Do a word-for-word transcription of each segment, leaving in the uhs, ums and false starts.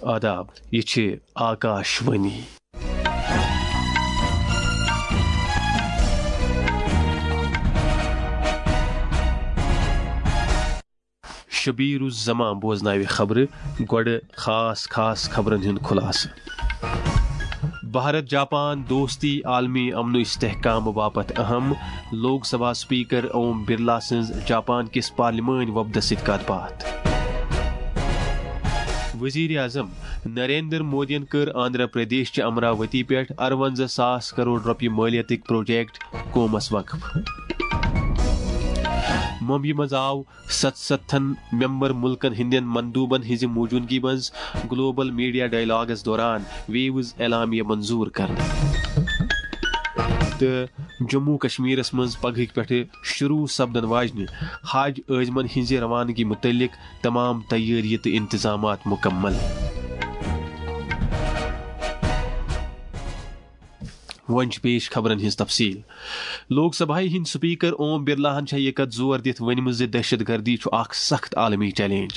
آداب، یہِ چھِ آکاش وانی۔ شبیر الزمان بوزناوِ خبرٕ، گۄڈٕ خاص خاص خبرن ہُنٛد خُلاصہٕ۔ بھارت جاپان دوستی عالمی امن و استحکام باپتھ اہم، لوک سبھا سپیکر اوم برلا سٕنٛز جاپان کِس پارلیمٲنۍ وفدس سۭتۍ کتھ باتھ۔ وزیر اعظم نریندر مودیَن کٔر آندھرا پردیش چہِ امراوتی پٮ۪ٹھ اَرونٛزاہ ساس کرور رۄپیہِ مٲلیتٕکۍ پروجیکٹ قومس وقف۔ ممبیہِ منٛز آو ستستھن ممبر ملکن ہٕنٛدٮ۪ن مندوبن ہٕنٛزِ موجودگی منٛز گلوبل میڈیا ڈائیلاگس دوران ویوز اعلامیہ منظور کرنہٕ۔ تہٕ جموں کشمیرس منٛز پگہٕکۍ پٮ۪ٹھٕ شروع سپدن واجنہِ حج عازمن ہٕنٛزِ روانگی متعلق تمام تیٲری تہٕ انتظامات مکمل۔ وۄنۍ چھِ پیش خبرن ہٕنٛز تفصیل۔ لوک سبھایہ ہٕنٛدۍ سپیکر اوم برلاہن چھےٚ یہِ کتھ زور دِتھ ؤنمٕژ زِ دہشت گردی چھُ اکھ سخت عالمی چیلنج۔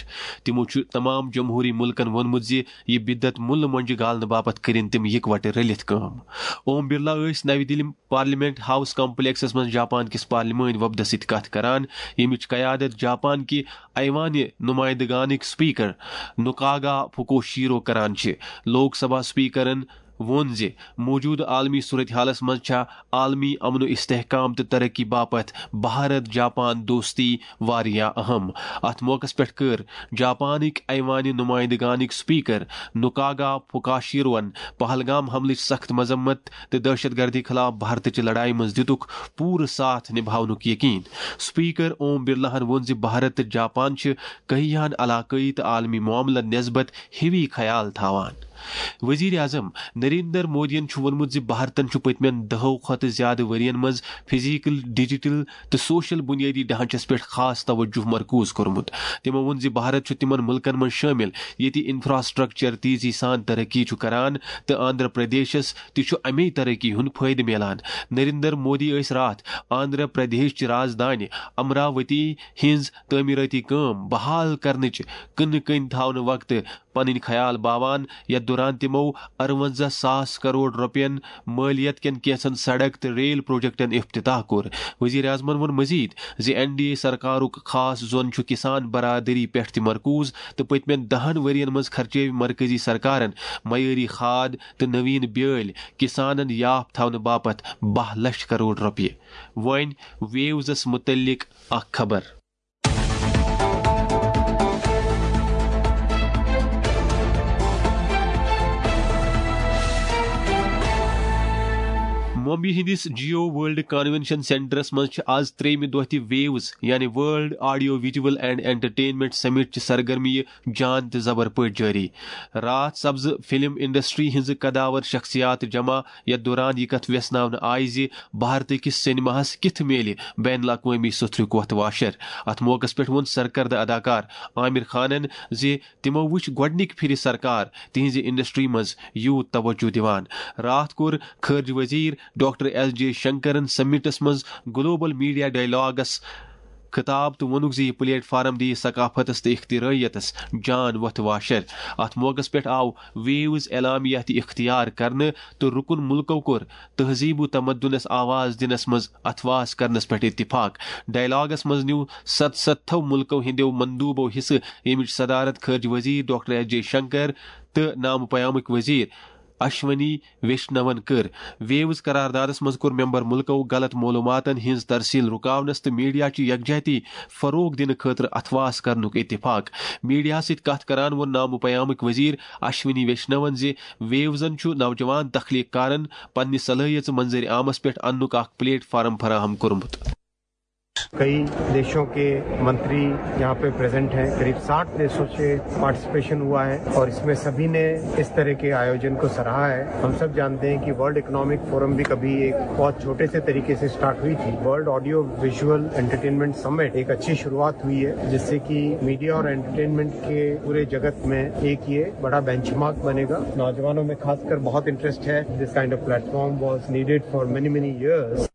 تِمو چھُ تمام جمہوری ملکن ووٚنمُت زِ یہِ بدعت مُلہٕ مۄنجہِ گالنہٕ باپتھ کٔرِن تِم یکوٹہٕ رٔلِتھ کٲم۔ اوم برلا ٲسۍ نَوِ دِلہِ پارلیمنٹ ہاؤس کمپلیکسس منٛز جاپان کِس پارلیمٲنۍ وفدس سۭتۍ کتھ کران، ییٚمِچ قیادت جاپان کہِ ایوانِ نمائندگانٕکۍ سپیکر نکاگا فوکوشیرو کران چھِ۔ لوک سبھا سپیکرن ووٚن زِ موجودٕ عالمی صورتحالس منٛز چھےٚ عالمی امن و استحکام تہٕ ترقی باپتھ بھارت جاپان دوستی واریاہ اہم۔ اتھ موقعس پٮ۪ٹھ کٔر جاپانٕکۍ ایوانِ نمائندگانٕکۍ سپیکر نکاگا فوکوشیروَن پہلگام حملٕچ سخت مذمت تہٕ دہشت گردی خلاف بھارتٕچہِ لڑایہِ منٛز دِتُکھ پوٗرٕ ساتھ نباونُک یقین۔ سپیکر اوم برلاہن ووٚن زِ بھارت تہٕ جاپان چھِ کہیاہن علاقٲیی تہٕ عالمی معاملن نسبت ہِوی خیال تھاوان۔ وزیر اعظم نریندر مودیَن چھُ ووٚنمُت زِ بھارتن چھُ پٔتمٮ۪ن دَہو کھۄتہٕ زیادٕ ؤرین منٛز فزیکل، ڈیجیٹل تہٕ سوشل بنیٲدی ڈھانچس پٮ۪ٹھ خاص توجہ مرکوز کوٚرمُت۔ تِمو ووٚن زِ بھارت چھُ تِمن ملکن منٛز شٲمِل ییٚتہِ انفراسٹرکچر تیزی سان ترقی چھُ کران تہٕ آندھرا پردیشس تہِ چھُ اَمے ترقی ہُنٛد فٲیدٕ میلان۔ نریندر مودی ٲسۍ راتھ آندھرا پردیش چہِ رازدانہِ امراوتی ہٕنٛز تعمیٖرٲتی کٲم بحال کرنٕچ کٕنہٕ کٔنۍ تھاونہٕ وقتہٕ پنٕنۍ خیال باوان، یتھ دوران تِمو اَرونٛزاہ ساس کرور رۄپین مٲلیت کٮ۪ن کینٛژن سڑک تہٕ ریل پروجیکٹن افتتاح کوٚر۔ وزیر اعظمن ووٚن مزید زِ این ڈی اے سرکارُک خاص زون چھُ کسان برادری پٮ۪ٹھ تہِ مرکوز تہٕ پٔتمٮ۪ن دَہن ؤرین منٛز خرچٲوۍ مرکزی سرکارن معیٲری کھاد تہٕ نوین بیٲلۍ کسانن یاپھ تھاونہٕ باپتھ باہ لچھ کرور رۄپیہِ۔ وۄنۍ ویوزس متعلق اکھ خبر۔ ممبئی ہٕنٛدِس جیو ورلڈ کنونشن سینٹرس منٛز چھِ آز ترٛیٚیِمہِ دۄہ تہِ ویوز، یعنی world audio visual and entertainment summit چہِ سرگرمیہِ جان تہٕ زبر پٲٹھۍ جٲری۔ راتھ سپزٕ فلم انڈسٹری ہٕنٛزٕ قداور شخصیات جمع، یتھ دوران یہِ کتھ ویژھناونہٕ آیہِ زِ بھارتہٕ کِس سینماہس کِتھ میلہِ بین الاقوٲمی سوٚتھرُک وۄتھ واشر۔ اتھ موقعس پٮ۪ٹھ ووٚن سرکردٕ اداکار عامر خانن زِ تِمو وُچھ گۄڈٕنِکۍ پھِرِ سرکار تِہنٛزِ انڈسٹری منٛز یوٗت توجہ دِوان۔ راتھ کوٚر خارجہ وزیر ڈاکٹر ایس جے شنکرن سمٹس منٛز گلوبل میڈیا ڈائیلاگس خطاب تہٕ ووٚنُکھ زِ یہِ پلیٹ فارم دِیہِ ثقافتس تہٕ اختراعیتس جان وۄتھٕ واشر۔ اتھ موقعس پٮ۪ٹھ آو ویوز اعلامیہ تہِ اختیار کرنہٕ تہٕ رُکُن مُلکو کوٚر تہذیب و تمدنس آواز دِنس منٛز اتھواس کرنس پٮ۪ٹھ اتفاق۔ ڈائیلاگس منٛز نیوٗ ستستھو مُلکو ہٕنٛدیو مندوٗبو حصہٕ، ییٚمِچ صدارت خارجہ وزیر ڈاکٹر ایس جے شنکر تہٕ نامہٕ پیامٕکۍ وزیر اشونی ویشنون کٔر۔ ویوز قراردادس منٛز کوٚر ممبر ملکو غلط معلوماتن ہٕنٛز ترسیل رُکاونس تہٕ میڈیا چہِ یکجہتی فروغ دِنہٕ خٲطرٕ اتھواس کرنُک اتفاق۔ میڈیاہس سۭتۍ کتھ کران ووٚن نامہٕ پیامٕکۍ وزیر اشونی ویشنون زِ ویوزن چھُ نوجوان تخلیق کارن پننہِ صلٲحیژٕ منظر عامس پٮ۪ٹھ اننُک اکھ پلیٹ فارم فراہم کوٚرمُت۔ कई देशों के मंत्री यहाँ पे प्रेजेंट हैं। करीब साठ देशों से पार्टिसिपेशन हुआ है और इसमें सभी ने इस तरह के आयोजन को सराहा है। हम सब जानते हैं कि वर्ल्ड इकोनॉमिक फोरम भी कभी एक बहुत छोटे से तरीके से स्टार्ट हुई थी। World audio visual entertainment summit एक अच्छी शुरुआत हुई है, जिससे कि मीडिया और एंटरटेनमेंट के पूरे जगत में एक ये बड़ा बेंचमार्क बनेगा। नौजवानों में खासकर बहुत इंटरेस्ट है। This kind of platform was needed for many many years.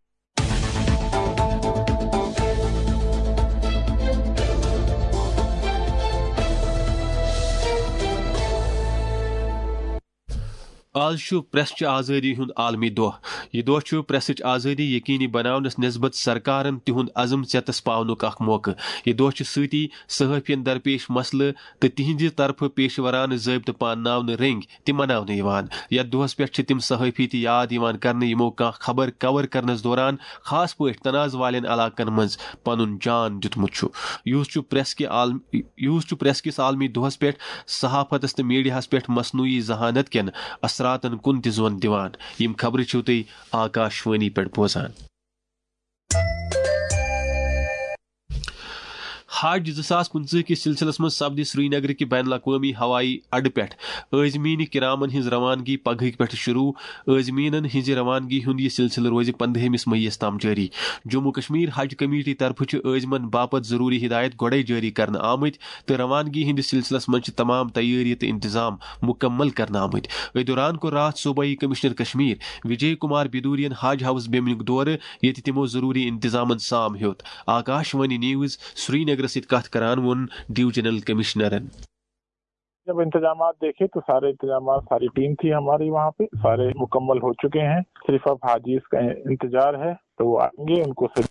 آز چھُ پریس چہِ آزٲدی ہُنٛد عالمی دۄہ۔ یہِ دۄہ چھُ پریسٕچ آزٲدی یقینی بناونس نسبت سرکارن تِہُنٛد عزم ژیتس پاونُک اکھ موقعہٕ۔ یہِ دۄہ چھُ سۭتی صحافین درپیش مسلہٕ تہٕ تِہنٛزِ طرفہٕ پیشورانہٕ ضٲبطہٕ پانناونہٕ رٔنگۍ تہِ مناونہٕ یِوان۔ یتھ دۄہس پٮ۪ٹھ چھِ تِم صحافی تہِ یاد یِوان کرنہٕ، یِمو کانٛہہ خبر کور کرنس دوران خاص پٲٹھۍ تنازٕ والٮ۪ن علاقن منٛز پنُن جان دیُتمُت چھُ۔ یُس چھُ پریس کہِ عالم-، یُس چھُ پریس کِس عالمی دۄہس پٮ۪ٹھ صحافتس تہٕ میڈیاہس پٮ۪ٹھ مصنوعی ذہانت کٮ۪ن اثراتن کُن تہِ زون دِوان۔ یِم خبرٕ چھِو تُہۍ آکاش وانی پٮ۪ٹھ بوزان۔ حج زٕ ساس پٕنٛژٕہ کِس سلسلس منٛز سپدِ سرینگرٕ کہِ بین الاقوٲمی ہوایی اڈٕ پٮ۪ٹھ عازمین کرامن ہٕنٛز روانگی پگہٕکۍ پٮ۪ٹھ شروع۔ عازمینن ہٕنٛزِ روانگی ہُنٛد یہِ سلسلہٕ روزِ پندہمِس مئی یَس تام جٲری۔ جموں کشمیر حج کمیٹی طرفہٕ چھِ عازمن باپتھ ضروری ہدایت گۄڈے جٲری کرنہٕ آمٕتۍ تہٕ روانگی ہٕنٛدِس سلسلس منٛز چھِ تمام تیٲری تہٕ انتظام مکمل کرنہٕ آمٕتۍ۔ أتھۍ دوران کوٚر راتھ صوبٲئی کمشنر کشمیر وجے کمار بدورین حج ہاؤس بیمنیُک دورٕ، ییٚتہِ تِمو ضروری انتظامن سام ہیوٚت۔ آکاش وانی نیوز سرینگرس سۭتۍ کتھ کران ووٚن ڈویژنل کمشنرن۔ جب انتظامات دیکھے تو سارے انتظامات، ساری ٹیم تھی ہماری وہاں پہ، سارے مکمل ہو چکے ہیں۔ صرف اب حاجیز کا انتظار ہے، تو وہ آئیں گے، ان کو سب،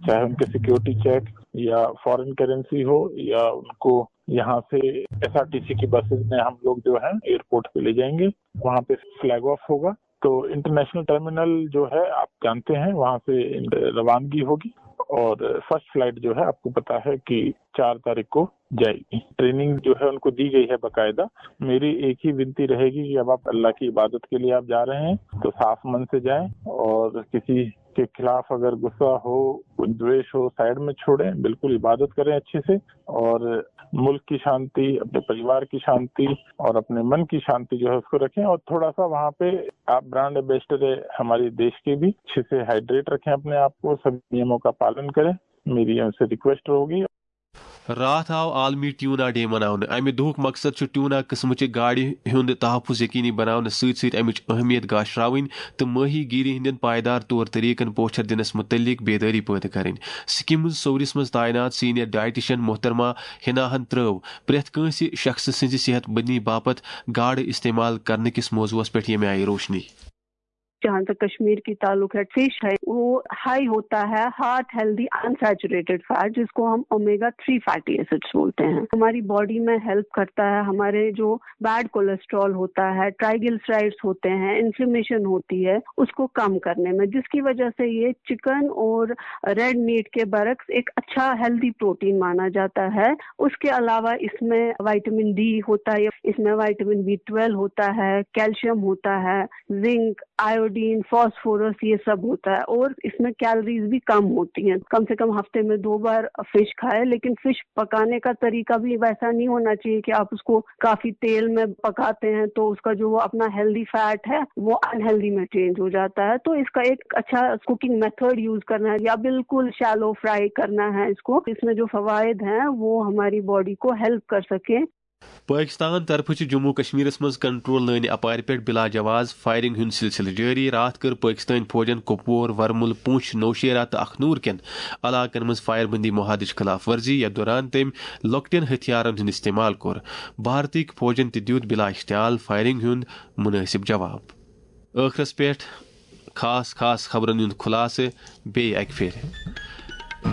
چاہے ان کے سیکیورٹی چیک یا فارن کرنسی ہو یا ان کو یہاں سے ایس آر ٹی سی کی بسز میں ہم لوگ جو ہیں ایئرپورٹ پہ لے جائیں گے، وہاں پہ فلیگ آف ہوگا۔ تو انٹرنیشنل ٹرمینل جو ہے، آپ جانتے ہیں، وہاں سے روانگی ہوگی اور فرسٹ فلائٹ جو ہے، آپ کو پتا ہے کہ چار تاریخ کو جائے گی۔ ٹریننگ جو ہے ان کو دی گئی ہے باقاعدہ۔ میری ایک ہی وینتی رہے گی کہ اب آپ اللہ کی عبادت کے لیے آپ جا رہے ہیں تو صاف من سے جائیں اور کسی کے خلاف اگر غصہ ہو، کوئی دویش ہو، سائیڈ میں چھوڑیں، بالکل عبادت کریں اچھے سے اور ملک کی شانتی، اپنے پریوار کی شانتی اور اپنے من کی شانتی جو ہے اس کو رکھیں اور تھوڑا سا وہاں پہ آپ برانڈ ایمبیسڈر ہے ہمارے دیش کے بھی، اچھے سے ہائیڈریٹ رکھیں اپنے آپ کو، سب نیموں کا پالن کریں، میری ان سے ریکویسٹ ہوگی۔ راتھ آو عالمی ٹیونا ڈے مناونہٕ۔ امہِ دۄہُک مقصد چھُ ٹیونا قٕسمٕچہِ گاڈِ ہُنٛد تحفظ یقینی بناونہٕ سۭتۍ سۭتۍ امِچ اہمیت گاشراوٕنۍ تہٕ ماہی گیری ہٕنٛدٮ۪ن پائیدار طور طریقن پوچھر دِنس متعلق بیدٲری پٲدٕ کرٕنۍ۔ سکمز سورِس منٛز تعینات سینئر ڈائٹیشن محترمہ ہناہن ترٲو پرٛٮ۪تھ کٲنٛسہِ شخصہٕ سٕنٛزِ صحت مندی باپتھ گاڈٕ استعمال کرنہٕ کِس موضوعس پٮ۪ٹھ ییٚمہِ آیہِ روشنی۔ جہاں تک کشمیر کی تعلق ہے، فش ہے، وہ ہائی ہوتا ہے ہارٹ ہیلدی انسیچوریٹڈ فیٹ، جس کو ہم اومیگا تھری فیٹی ایسڈز بولتے ہیں۔ ہماری باڈی میں ہیلپ کرتا ہے، ہمارے جو بیڈ کولیسٹرول ہوتا ہے، ٹرائیگلسرائڈز ہوتے ہیں، انفلیمیشن ہوتی ہے، اس کو کم کرنے میں، جس کی وجہ سے یہ چکن اور ریڈ میٹ کے برعکس ایک اچھا ہیلدی پروٹین مانا جاتا ہے۔ اس کے علاوہ اس میں وائٹامن ڈی ہوتا ہے، اس میں وائٹامن بی ٹویلو ہوتا ہے، کیلشیم ہوتا ہے، زنک، آیوڈین، فاسفورس، یہ سب ہوتا ہے اور اس میں کیلریز بھی کم ہوتی ہیں۔ کم سے کم ہفتے میں دو بار فش کھائے، لیکن فش پکانے کا طریقہ بھی ویسا نہیں ہونا چاہیے کہ آپ اس کو کافی تیل میں پکاتے ہیں تو اس کا جو وہ اپنا ہیلدی فیٹ ہے وہ انہیلدی میں چینج ہو جاتا ہے۔ تو اس کا ایک اچھا کوکنگ میتھڈ یوز کرنا ہے یا بالکل شیلو فرائی کرنا ہے اس کو، اس میں جو فوائد ہیں وہ ہماری باڈی کو ہیلپ کر سکیں۔ پاکستان طرفہٕ چھِ جموں کشمیرس منٛز کنٹرول لٲنہِ اپارِ پٮ۪ٹھ بلا جواز فائرنگ ہُنٛد سلسلہٕ جٲری۔ راتھ کٔر پاکستٲنۍ فوجن کپور، ورمل، پونچھ، نوشیرہ تہٕ اخنور کٮ۪ن علاقن منٛز فائر بندی معاہدٕچ خلاف ورزی، یتھ دوران تٔمۍ لۄکٹٮ۪ن ہتھیارن ہُنٛد استعمال کوٚر۔ بھارتٕکۍ فوجن تہِ دیُت بلا اشتعال فائرنگ ہُنٛد مناسب جواب۔ ٲخرس پٮ۪ٹھ خاص خاص خبرن ہُنٛد خلاصہٕ بیٚیہِ اکہِ پھِرِ۔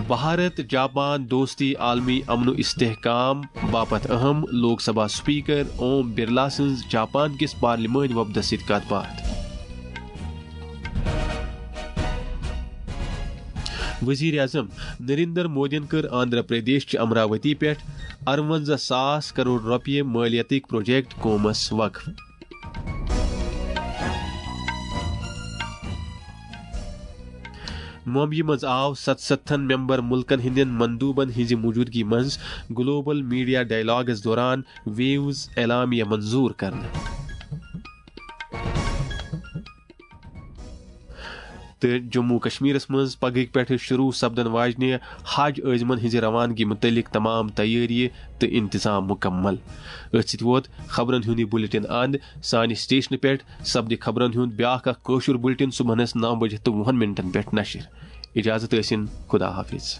بھارت جاپان دوستی عالمی امن و استحکام باپتھ اہم، لوک سبھا سپیکر اوم برلا سٕنٛز جاپان کِس پارلیمٲنۍ وفدس سۭتۍ کتھ باتھ۔ وزیر اعظم نریندر مودیَن کٔر آندھرا پردیش چہِ امراوتی پٮ۪ٹھ اَرونٛزاہ ساس کرور رۄپیہِ مٲلیتٕکۍ پروجیکٹ قومس وقف۔ ممبیہِ منٛز آو ستستھن ممبر ملکن ہٕنٛدٮ۪ن مندوبن ہٕنٛزِ موجودگی منٛز گلوبل میڈیا ڈائیلاگس دوران ویوز اعلامیہ منظور کرنہٕ۔ تہٕ جموں کشمیرس منٛز پگہٕکۍ پٮ۪ٹھٕ شروع سپدن واجنہِ حج عٲزمن ہٕنٛزِ روانگی مُتعلق تمام تیٲری تہٕ انتظام مکمل۔ أتھۍ سۭتۍ ووت خبرن ہُنٛد یہِ بُلٹن اند۔ سانہِ سٹیشنہٕ پٮ۪ٹھ سپدِ خبرن ہُنٛد بیٛاکھ اکھ کٲشُر بُلٹن صبحنس نو بجہِ تہٕ وُہن منٹن پٮ۪ٹھ نشر۔ اجازت ٲسِن، خدا حافظ۔